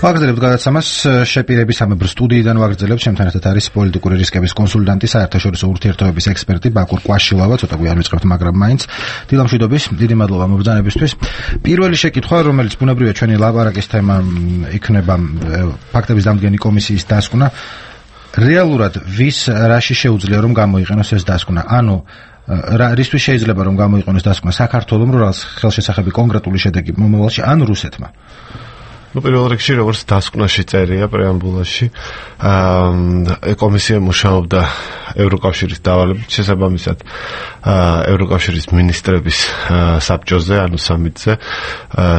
ვაგრძელებთ გადაცემას შეპირების სამებრ სტუდიიდან ვაგრძელებთ ჩემთან ერთად არის პოლიტიკური რისკების კონსულტანტი საერთაშორისო ურთიერთობების ექსპერტი ბაკურ კვაშილავა ცოტა გვიან ვიწყებთ მაგრამ მაინც დილამშვიდობის დიდი მადლობა მობრძანებისთვის პირველი შეკითხვა რომელიც ბუნებრივია ჩვენი ლაპარაკის თემა იქნება ფაქტების დამდგენი კომისიის დასკვნა რეალურად ვის რაში შეუძლია რომ გამოიყენოს ეს დასკვნა ანუ რისთვის შეიძლება რომ გამოიყენოს დასკვნა საქართველოს რომ ხელშესახები კონკრეტული შედეგი მომავალში ან რუსეთმა პირველ რიგში როგორც დასკვნაში წერია პრეამბულაში კომისია მუშაობდა ევროკავშირის დავალებით შესაბამისად ევროკავშირის მინისტრების საბჭოზე ანუ სამიტზე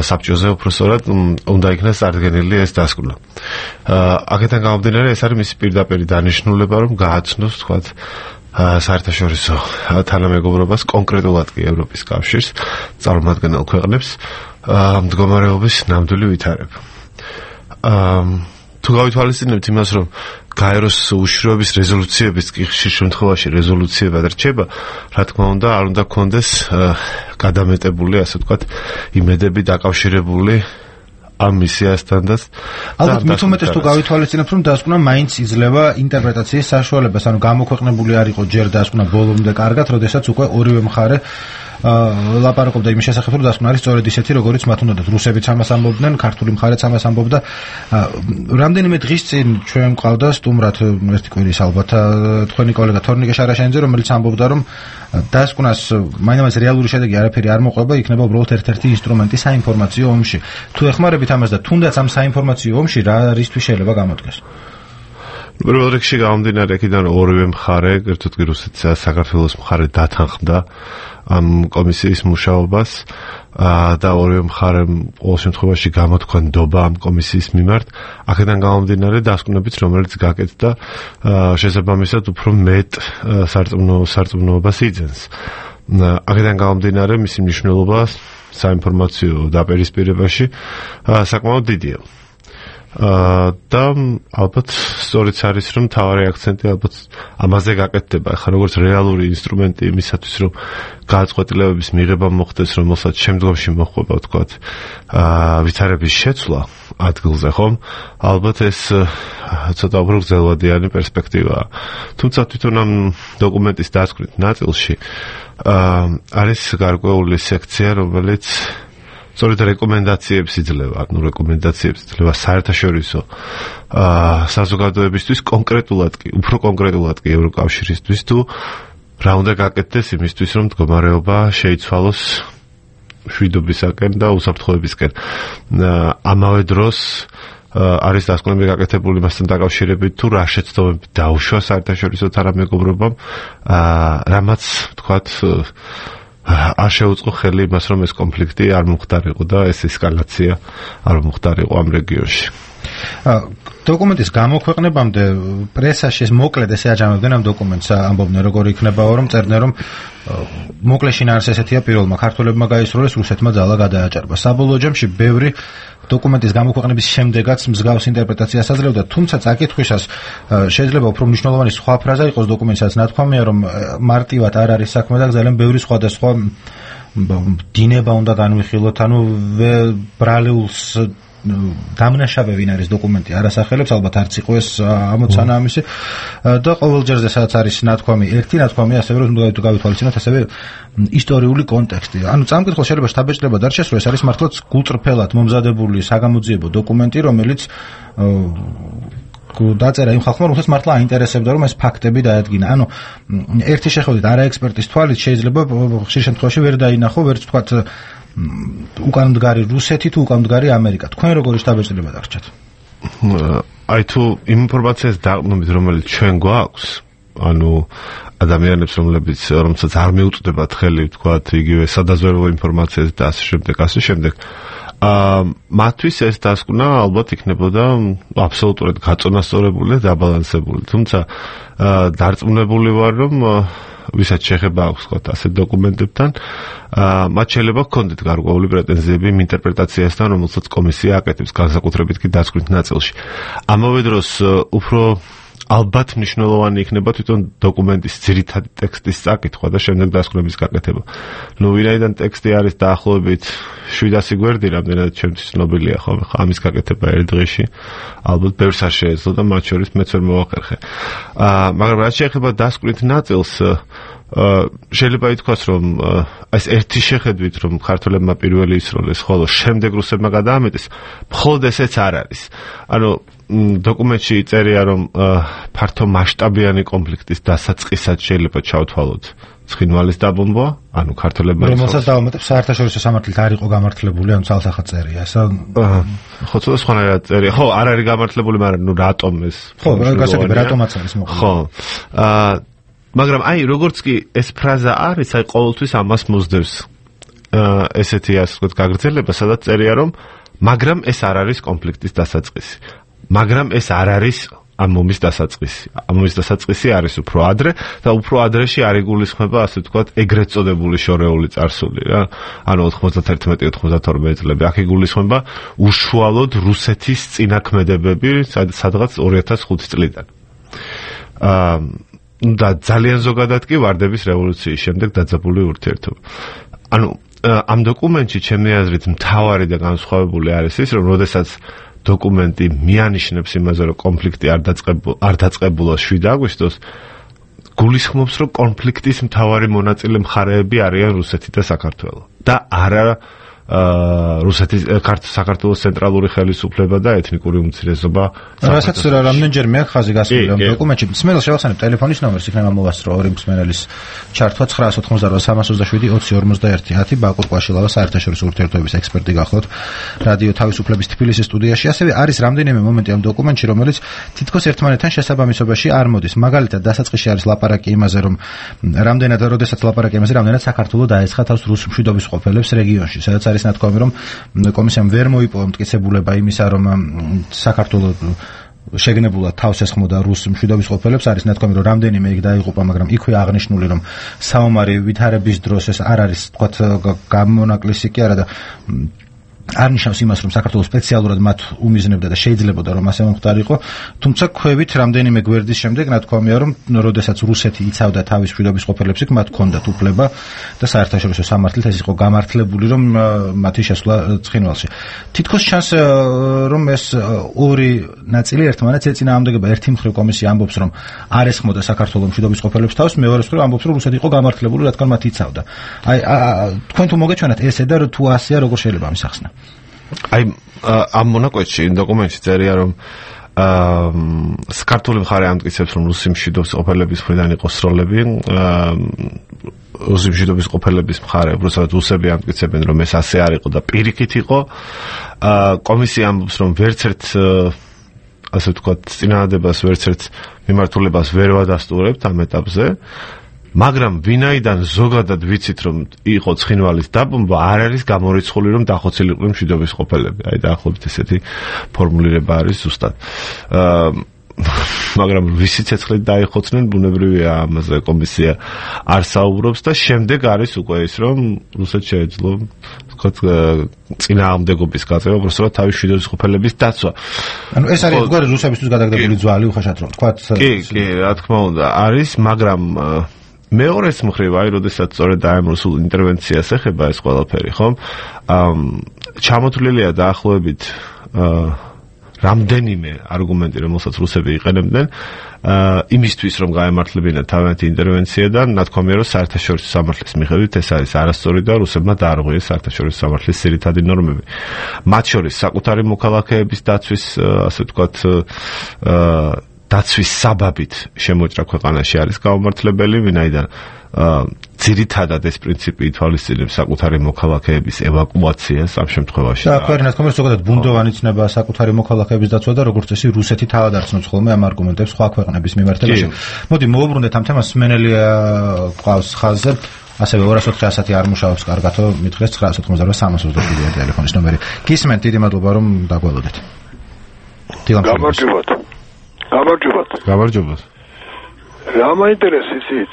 საბჭოზე უბრალოდ უნდა იქნას წარდგენილი ეს დასკვნა აქედან გამომდინარე ეს არის მისი პირდაპირი დანიშნულება რომ გააცნოს თქვათ საერთაშორისო თანამეგობრობას კონკრეტულად კი ევროპის კავშირს წარმომადგენელ ქვეყნებს მდგომარეობის ნამდვილი ვითარება. თუ გავითვალისწინებთ იმას, რომ გაეროს უშიშროების რეზოლუციების კი ხშირ შემთხვევაში რეზოლუციებად რჩება, რა თქმა უნდა, არ უნდა გქონდეს გადამეტებული, ასე ვთქვათ, იმედები დაკავშირებული ამ მისიასთანაც. ალბათ მით უმეტეს თუ გავითვალისწინებთ, რომ დასკვნა მაინც იძლევა ინტერპრეტაციის საშუალებას, ანუ გამოქვეყნებული არ იყო ჯერ დასკვნა ბოლომდე კარგად, როდესაც უკვე ორივე მხარე ლაპარაკობდა იმის შესახებ, რომ დასკვნა არის სწორედ ისეთი, როგორიც მათ უნდათ. რუსებიც ამას ამბობდნენ, ქართული მხარეც ამას ამბობდა. რამდენიმე დღის წინ ჩვენ მყავდა სტუმრად ერთი კვირის ალბათ თქვენი კოლეგა თორნიკე შარაშენიძე, რომელიც ამბობდა, რომ დასკვნას მაინც რეალური შედეგი არაფერი არ მოყვება, იქნება უბრალოდ ერთ-ერთი ინსტრუმენტი საინფორმაციო ომში. თუ ეხმარებით ამას და თუნდაც ამ საინფორმაციო ომში რა რისთვის შეიძლება გამოდგეს? პირველ რიგში გამომდინარე აქედან ორივე მხარე, ერთად კი რუსეთს და საქართველოს მხარე დათანხმდა ამ კომისიის მუშაობას და ორივე მხარემ ყოველ შემთხვევაში გამოთქვა ნდობა ამ კომისიის მიმართ. აქედან გამომდინარე დასკვნებით, რომელიც გაკეთდა შესაბამისად უფრო მეტ სარწმუნოებას იძენს. აქედან გამომდინარე მისი მნიშვნელობა საინფორმაციო დაპირისპირებაში საკმაოდ დიდია. და ალბათ სწორიც არის რომ თავარი აქცენტი ალბათ ამაზე გაკეთდება ახლა როგორც რეალური ინსტრუმენტი იმისათვის რომ გააწყოტილებების მიღება მოხდეს რომელსაც შემდგომში მოხდება ვთქვათ ვითარების შეცვლა ადგილზე ხომ ალბათ ეს ცოტა უფრო გრძელვადიანი პერსპექტივაა თუმცა თვითონ ამ დოკუმენტის დასკვნით ნაწილში არის გარკვეული სექცია რომელიც სწორედ რეკომენდაციებს იძლევა, ანუ რეკომენდაციებს იძლევა საერთაშორისო საზოგადოებისთვის კონკრეტულად კი, უფრო კონკრეტულად კი ევროკავშირისთვის თუ რა უნდა გაკეთდეს იმისთვის, რომ მდგომარეობა შეიცვალოს მშვიდობისაკენ და უსაფრთხოებისკენ. ამავე დროს არის დასკვნები გაკეთებული მასთან დაკავშირებით თუ რა შეცდომები დაუშვა საერთაშორისო თანამეგობრობამ, რამაც თქვათ არ შეუწყო ხელი იმას, რომ ეს კონფლიქტი არ მომხდარიყო და ეს ესკალაცია არ მომხდარიყო ამ რეგიონში. დოკუმენტის გამოქვეყნებამდე პრესაში მოკლედ ესე აჯამებდნენ ამ დოკუმენტს, ამბობდნენ როგორ იქნებაო, რომ წერდნენ, რომ მოკლე შინაარსი ესეთია პირველმა ქართველებმა გაისროლეს, რუსეთმა ძალა გადააჭარბა. საბოლოო ჯამში ბევრი დოკუმენტის გამოქვეყნების შემდეგაც მსგავს ინტერპრეტაციას აძლევდა, თუმცა წაკითხვისას შეიძლება უფრო მნიშვნელოვანი სხვა ფრაზა იყოს დოკუმენტსაც, ნათქვამია, რომ მარტივად არ არის საქმე და ძალიან ბევრი სხვადასხვა დინება უნდა განვიხილოთ, ანუ ბრალეულს დამნაშავე ვინ არის დოკუმენტი არასახელებს, ალბათ არც იყო ეს ამოცანა ამისი და ყოველჯერზე სადაც არის ნათქვამი, ერთი ნათქვამი ასევე რომ უნდა გავითვალისწინოთ ასევე ისტორიული კონტექსტი. ანუ წამკითხოს შეიძლება შთაბეჭდილება დარჩეს, რომ ეს არის მართლაც გულწრფელად მომზადებული საგამოძიებო დოკუმენტი, რომელიც დაწერა იმ ხალხმა, რომელსაც მართლა აინტერესებდა, რომ ეს ფაქტები დაადგინა. ანუ ერთი შეხედვით არაექსპერტის თვალით შეიძლება ხშირ შემთხვევაში ვერ დაინახო, ვერც თქვათ უკანმდგარი რუსეთი თუ უკანმდგარი ამერიკა. თქვენ როგორი შთაბეჭდილება დარჩათ? აი თუ იმ ინფორმაციას დაყრდნობით, რომელიც ჩვენ გვაქვს, ანუ ადამიანებს, რომელსაც არ მიუწვდებათ ხელი, თქვათ, იგივე სადაზვერვო ინფორმაციას და ასე შემდეგ. მათთვის ეს დასკვნა ალბათ იქნებოდა აბსოლუტურად გაწონასწორებული და დაბალანსებული. თუმცა დარწმუნებული ვარ, რომ ვისაც შეხება აქვს თქვათ ასეთ დოკუმენტებთან, მათ შეიძლება ჰქონდეთ გარკვეული პრეტენზიები იმ ინტერპრეტაციასთან, რომელსაც კომისია აკეთებს, განსაკუთრებით კი დასკვნით ნაწილში. ამავე დროს უფრო ალბათ მნიშვნელოვანი იქნება თვითონ დოკუმენტის ძირითადი ტექსტის წაკითხვა და შემდეგ დასკვნების გაკეთება. ვინაიდან ტექსტი არის დაახლოებით 700 გვერდი, რამდენად ჩემთვის ცნობილია ხოლმე ამის გაკეთება ერთ დღეში. ალბათ ბევრს არ შეეძლო და მათ შორის მეც ვერ მოვახერხე. მაგრამ რაც შეეხება დასკვნით ნაწილს, შეიძლება ითქვას, რომ ეს ერთი შეხედვით, რომ ქართველებმა პირველი ისროლეს, ხოლო შემდეგ რუსებმა გადაამეტეს, მხოლოდ ესეც არ არის. ანუ დოკუმენტში წერია, რომ ფართო მასშტაბიანი კონფლიქტის დასაწყისად შეიძლება ჩავთვალოთ ცხინვალის დაბომბვა, ანუ ქართველებმა რომელსაც დავამატებს საერთაშორისო სამართლით არ იყო გამართლებული, ანუ ცალსახად წერია, ესა ხო, ცოტა სხვანაირად წერია. ხო, არ არის გამართლებული, მაგრამ რატომ ეს? ხო, გასაგები რატომაც არის მოყოლებული. ხო. მაგრამ როგორც კი ეს ფრაზა არის, ყოველთვის ამას მოსდევს ესეთი ასე ვთქვათ გაგრძელება, სადაც წერია, რომ მაგრამ ეს არ არის კონფლიქტის დასაწყისი. მაგრამ ეს არ არის ამ ომის დასაწყისი. ამ ომის დასაწყისი არის უფრო ადრე და უფრო ადრეში არ იგულისხმება ასე ვთქვათ ეგრეთ წოდებული შორეული წარსული რა. ანუ 91-92 წლები. აქ იგულისხმება უშუალოდ რუსეთის წინაქმედებები სადღაც 2005 წლიდან. და ძალიან ზოგადად კი ვარდების რევოლუციის შემდეგ დაძაბული ურთიერთობა. ანუ ამ დოკუმენტში ჩემი აზრით მთავარი და განსხვავებული არის ის, რომ როდესაც დოკუმენტი მიანიშნებს იმაზე, რომ კონფლიქტი არ დაწყებულა 7 აგვისტოს, გულისხმობს, რომ კონფლიქტის მთავარი მონაწილე მხარეები არიან რუსეთი და საქართველო. და არა რუსეთის საქართველოს ცენტრალური ხელისუფლება და ეთნიკური უმცირესობა. რასაც რამდენჯერ მე ხაზი გასული ამ დოკუმენტში. მსმენელს შევახსენებ ტელეფონის ნომერს, იქნება მოვასწრო ორი მსმენელის ჩართვა 988-321-10 ბაკურ ყვაშილავა საერთაშორისო ურთიერთობების ექსპერტი გახლავთ რადიო თავისუფლების თბილისის სტუდიაში. ასევე არის რამდენიმე მომენტი ამ დოკუმენტში, რომელიც თითქოს ერთმანეთთან შესაბამისობაში არ მოდის. მაგალითად, დასაწყისში არის ლაპარაკი იმაზე, რომ როდესაც ლაპარაკი იმაზე, რამდენად საქართველო დაეცხა თავს რუს მშვიდობის ყოფილებს რეგიონში, სადაც არის ნათქვამი, რომ კომისიამ ვერ მოიპოვა მტკიცებულება იმისა, რომ საქართველო შეგნებულად თავს ესხმოდა რუს მშვიდობის ყოფილებს, არის ნათქვამი, რომ რამდენიმე იქ დაიღუპა, მაგრამ იქვე აღნიშნული, რომ საომარი ვითარების დროს ეს არ არის თქვათ გამონაკლისი კი არა და არ ნიშნავს იმას, რომ საქართველოს სპეციალურად მათ უმიზნებდა და შეიძლებოდა რომ ასე მომხდარიყო, თუმცა ქვევით რამდენიმე გვერდის შემდეგ ნათქვამია, რომ როდესაც რუსეთი იცავდა თავის მშვიდობის ყოფილებს, იქ მათ ჰქონდათ უფლება და საერთაშორისო სამართლით ეს იყო გამართლებული, რომ მათი შესვლა ცხინვალში. თითქოს ჩანს, რომ ეს ორი ნაწილი ერთმანეთს ეწინააღმდეგება. ერთი მხრივ კომისია ამბობს, რომ არ ესხმოდა საქართველოს მშვიდობის ყოფილებს თავს, მეორე მხრივ ამბობს, რომ რუსეთი იყო გამართლებული, რადგან მათ იცავდა. აი თქვენ თუ მოგეჩვენათ ესე და თუ ასეა, როგორ შეიძლება ამის ახსნა? ამ მონაკვეთში დოკუმენტში წერია, რომ საქართველოს მხარე ამტკიცებს, რომ რუსი მშვიდობის ყოფილების მხრიდან იყო სროლები, რუსი მშვიდობის ყოფილების მხარე, უბრალოდ რუსები ამტკიცებენ, რომ ეს ასე არ იყო და პირიქით იყო. კომისია ამბობს, რომ ვერცერთ ასე ვთქვათ წინააღმდეგობას, ვერცერთ მიმართულებას ვერ ვადასტურებთ ამ ეტაპზე. მაგრამ ვინაიდან ზოგადად ვიცით, რომ იყო ცხინვალის დაბომბვა, არ არის გამორიცხული, რომ დახოცილიყო მშვიდობის ყოფილები. აი დაახლოებით ესეთი ფორმულირება არის ზუსტად. მაგრამ ვისი ცეცხლით დაიხოცნენ, ბუნებრივია ამაზე კომისია არ საუბრობს და შემდეგ არის უკვე ის, რომ რუსეთს შეეძლო ვთქვათ წინააღმდეგობის გაწევა, უბრალოდ თავის მშვიდობის ყოფილების დაცვა. ანუ ეს არის გვარი რუსებისთვის გადაგდებული ძვალი, უხეშად რომ ვთქვათ. კი, რა თქმა უნდა, არის, მაგრამ მეორეს მხრივ, როდესაც სწორედ ამ რუსულ ინტერვენციას ეხება ეს ყველაფერი, ხომ? ჩამოთვლილია დაახლოებით რამდენიმე არგუმენტი, რომელსაც რუსები იყენებდნენ, იმისთვის, რომ გაემართლებინათ თავიანთი ინტერვენცია და ნათქვამია, რომ საერთაშორისო სამართლის მიხედვით ეს არის არასწორი და რუსებმა დაარღვიეს საერთაშორისო სამართლის ძირითადი ნორმები. მათ შორის საკუთარი მოქალაქეების დაცვის, ასე ვთქვათ, დაცვის საბაბით შემოჭრა ქვეყანაში არის გაუმართლებელი, ვინაიდან ძირითადად ეს პრინციპი ითვალისწინებს საკუთარი მოქალაქეების ევაკუაციას ამ შემთხვევაში. და აქ რა თქმა უნდა ზოგადად ბუნდოვანი ცნება საკუთარი მოქალაქეების დაცვა და როგორც წესი რუსეთი თავად არცნობს ხოლმე ამ არგუმენტებს სხვა ქვეყნების მიმართებაში. მოდი მოვუბრუნდეთ ამ თემას, სმენელია ყავს ხაზზე. ასევე 204-100 არ მუშაობს კარგათო, მითხრეს 988-322 ტელეფონის ნომერი. გისმენთ, დიდი მადლობა რომ დაგველოდეთ. გამარჯობათ. გამარჯობათ. რა მაინტერესებს იცით?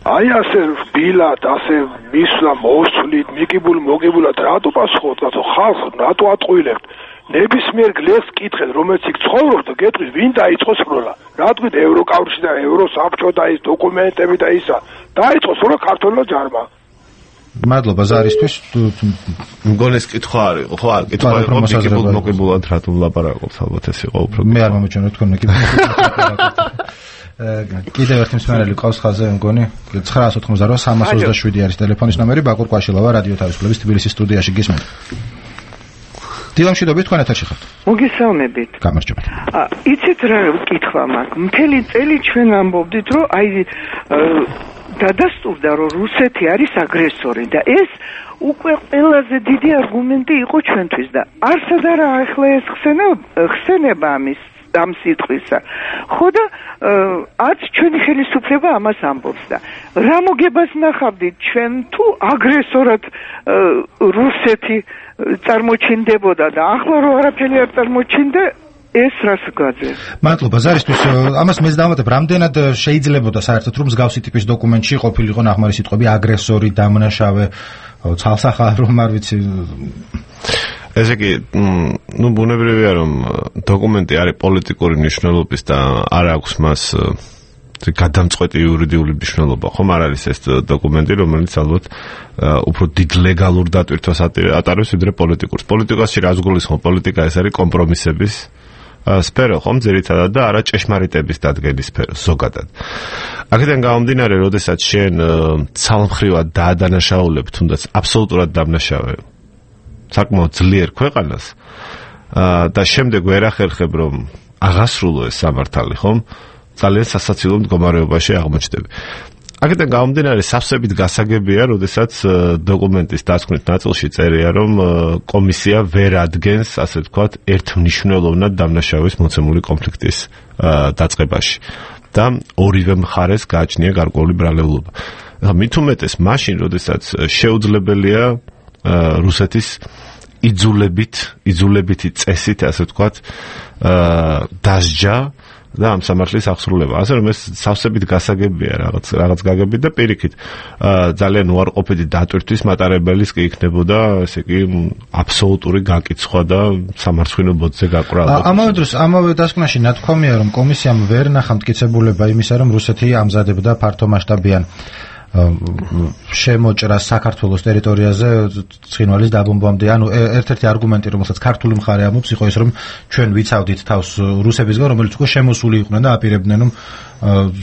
აი ასე რბილად, ასე მისვლა მოსვლით, მოგებულად რატო პასუხობთ, ხალხს რატო ატყუილებთ? ნებისმიერ გლეს კითხეთ, რომელიც იქ ცხოვრობს და გეტყვის, ვინ დაიწყო სროლა? რა თქვით ევროკავშირი და ევროსაბჭო და ის დოკუმენტები და ისა. დაიწყო სროლა ქართულმა ჯარმა. მადლობა ზარისთვის. მგონი ეს კითხვა არის, ხო, კითხვა იყო მოგებულად რატო ლაპარაკობთ, ალბათ ეს იყო უფრო. მე არ მომეჩვენა თქვენ მოგებულად. კიდევ ერთი მსმენელი ყავს ხაზე მგონი 988-327 არის ტელეფონის ნომერი ბაკურ კვაშილავა რადიო თავისუფლების თბილისის სტუდიაში გისმენთ. დილამშვიდობით თქვენ ეთერში ხართ. მოგესალმებით. გამარჯობათ. იცით რა კითხვა მაქვს? მთელი წელი ჩვენ ამბობდით, რომ აი დადასტურდა, რომ რუსეთი არის აგრესორი და ეს უკვე ყველაზე დიდი არგუმენტი იყო ჩვენთვის და არსად არა ახლა ეს ხსენება ამ სიტყვისა. ხო და არც ჩვენი ხელისუფლება ამას ამბობს და რა მოგებას ნახავდით ჩვენ თუ აგრესორად რუსეთი წარმოჩინდებოდა და ახლა რო არაფერი არ წარმოჩინდა ეს რას გაძეს? მადლობა ზარისთვის. ამას მეც დავამატებ, რამდენად შეიძლებოდა საერთოდ რომ მსგავსი ტიპის დოკუმენტში ყოფილიყო ნახმარი სიტყვები აგრესორი, დამნაშავე, ცალსახა რომ არ ვიცი. ესე იგი, ბუნებრივია რომ დოკუმენტი არის პოლიტიკური მნიშვნელობის და არ აქვს მას გადამწყვეტი იურიდიული მნიშვნელობა. ხომ არ არის ეს დოკუმენტი, რომელიც ალბათ უფრო დიდ ლეგალურ დატვირთვას ატარებს ვიდრე პოლიტიკურს. პოლიტიკაში რას გულისხმობ? პოლიტიკა ეს არის კომპრომისების სფერო, ხომ ძირითადად და არა ჭეშმარიტების დადგენის სფერო ზოგადად. აქედან გამომდინარე, როდესაც შენ ცალმხრივად დაადანაშაულებ, თუნდაც აბსოლუტურად დამნაშავე საკმაოდ ძლიერ ქვეყანას და შემდეგ ვერ ახერხებ რომ აღასრულო ეს სამართალი, ხომ? ძალიან სასაცილო მდგომარეობაში აღმოჩნდები. აქედან გამომდინარე, სავსებით გასაგებია, როდესაც დოკუმენტის დასკვნით ნაწილში წერია, რომ კომისია ვერ ადგენს, ასე ვთქვათ, ერთმნიშვნელოვნად დამნაშავის მოცემული კონფლიქტის დაწყებაში და ორივე მხარეს გააჩნია გარკვეული ბრალეულობა. მით უმეტეს მაშინ, როდესაც შეუძლებელია რუსეთის იძულებითი წესით, ასე ვთქვათ, დასჯა და ამ სამართლის აღსრულება. ასე რომ ეს სავსებით გასაგებია რაღაც გაგებით და პირიქით ძალიან უარყოფითი დატვირთვის მატარებელის კი იქნებოდა, ესე იგი, აბსოლუტური გაკიცხვა და სამარცხვინო ბოძზე გაკვრა. ამავე დროს ამავე დასკვნაში ნათქვამია, რომ კომისიამ ვერ ნახა მტკიცებულება იმისა, რომ რუსეთი ამზადებდა ფართომასშტაბიან შემოჭრა საქართველოს ტერიტორიაზე ცხინვალის დაბომბვამდე. ანუ ერთ-ერთი არგუმენტი, რომელსაც ქართული მხარე ამბობს, იყო ის, რომ ჩვენ ვიცავდით თავს რუსებისგან, რომელიც უკვე შემოსული იყვნენ და აპირებდნენ, რომ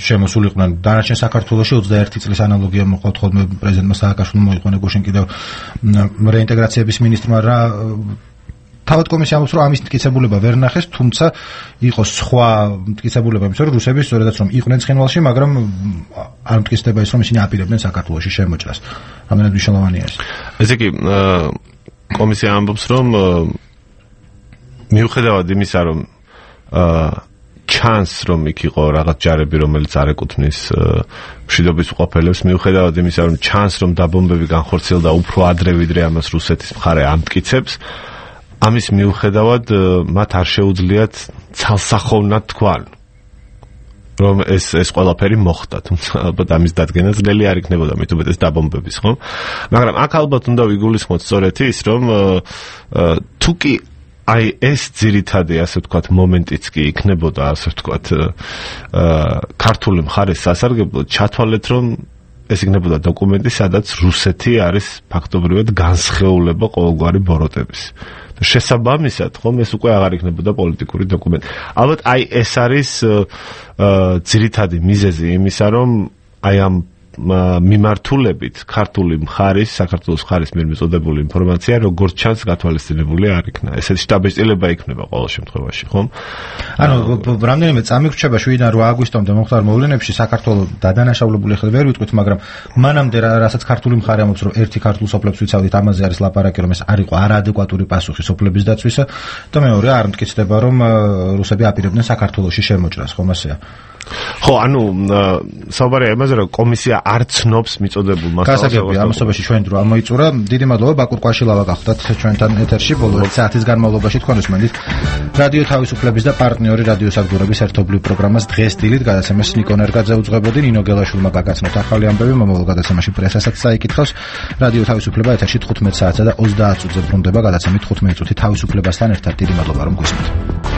შემოსული იყვნენ. დანარჩენ საქართველოში 21 წლის ანალოგია მოყავთ ხოლმე პრეზიდენტმა სააკაშვილიმ მოიყო ნეგოშენ კიდევ რეინტეგრაციების მინისტრმა რა თავად კომისია ამბობს, რომ ამის მტკიცებულება ვერ ნახეს, თუმცა იყო სხვა მტკიცებულება იმის, რომ რუსები სწორედაც რომ იყვნენ ცხინვალში, მაგრამ არ მტკიცდება ის, რომ ისინი აპირებდნენ საქართველოში შემოჭრას. რამდენად მნიშვნელოვანია ეს? ესე იგი, კომისია ამბობს, რომ მიუხედავად იმისა, რომ ჩანს, რომ იქ იყო რაღაც ჯარები, რომელიც არ ეკუთვნის მშვიდობის უყოფელებს, მიუხედავად იმისა, რომ ჩანს, რომ დაბომბები განხორციელდა უფრო ადრე, ვიდრე ამას რუსეთის მხარე ამტკიცებს, ამის მიუხედავად მათ არ შეუძლიათ ცალსახოვნად თქვან, რომ ეს ყველაფერი მოხდა, თუმცა ალბათ ამის დადგენა ძნელი არ იქნებოდა, მით უმეტეს დაბომბების, ხო? მაგრამ აქ ალბათ უნდა ვიგულისხმოთ სწორედ ის, რომ თუ კი აი ეს ძირითადი, ასე ვთქვათ, მომენტიც კი იქნებოდა, ასე ვთქვათ, ქართული მხარის სასარგებლოდ, ჩათვალეთ, რომ ეს იქნებოდა დოკუმენტი, სადაც რუსეთი არის ფაქტობრივად განსხეულება ყოველგვარი ბოროტების. შესაბამისად, ხომ ეს უკვე აღარ იქნებოდა პოლიტიკური დოკუმენტი. ალბათ აი ეს არის ძირითადი მიზეზი იმისა, რომ აი ამ მიმართულებით ქართული მხარის, საქართველოს მხარის მიერ მიწოდებული ინფორმაცია როგორც ჩანს გათვალისწინებული არ იქნა. ესეთი შტაბეჭდილება იქნება ყოველ შემთხვევაში, ხომ? ანუ რამდენიმე წამი ვრჩება 7-დან 8 აგვისტომდე მომხდარ მოვლენებში საქართველოს დადანაშაულებული ხდება ვერ ვიტყვით, მაგრამ მანამდე რასაც ქართული მხარე ამბობს, რომ ერთი ქართულ სოფლებს ვიცავდით, ამაზე არის ლაპარაკი, რომ ეს არ იყო არაადეკვატური პასუხი სოფლების დაცვისა და მეორე არ მტკიცდება, რომ რუსები აპირებდნენ საქართველოში შემოჭრას, ხომ ასეა? ხო, ანუ საუბარია იმაზე, რომ კომისია არ ცნობს მიწოდებულ მასალას. გასაგებია, ამასობაში ჩვენ დრო ამოიწურა. დიდი მადლობა ბაკურ კვაშილავა გახდათ ჩვენთან ეთერში ბოლო 1 საათის განმავლობაში თქვენ უსმენთ რადიო თავისუფლების და პარტნიორი რადიო საგდურების ერთობლივ პროგრამას დღეს დილით გადაცემას ნიკო ნერგაძე უძღვებოდი, ნინო გელაშვილმა გაგაცნოთ ახალი ამბები, მომავალ გადაცემაში პრესასაც საიკითხავს. რადიო თავისუფლება ეთერში 15 საათსა და 30 წუთზე ბრუნდება გადაცემით 15 წუთი თავისუფლებასთან ერთად. დიდი მადლობა რომ გვისმენთ.